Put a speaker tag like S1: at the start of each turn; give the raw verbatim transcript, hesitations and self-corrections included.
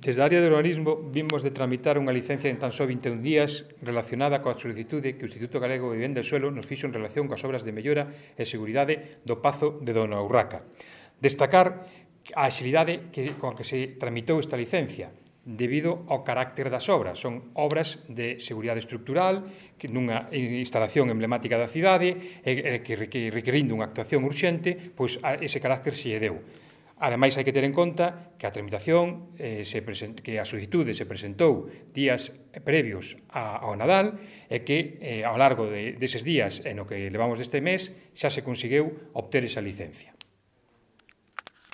S1: Desde a área de urbanismo vimos de tramitar unha licencia en tan só vinte e un días relacionada coa solicitude que o Instituto Galego de Vivenda e Suelo nos fixo en relación coas obras de mellora e seguridade do Pazo de Dona Urraca. Destacar a axilidade que, con a que se tramitou esta licencia, debido ao carácter das obras. Son obras de seguridade estructural, que nunha instalación emblemática da cidade, e que requerindo unha actuación urxente, pois ese carácter se lle deu. Ademais, hai que ter en conta que a tramitación, eh, se present, que a solicitude se presentou días previos a, ao Nadal e que eh, ao largo de, deses días e no que levamos deste mes xa se conseguiu obter esa licencia.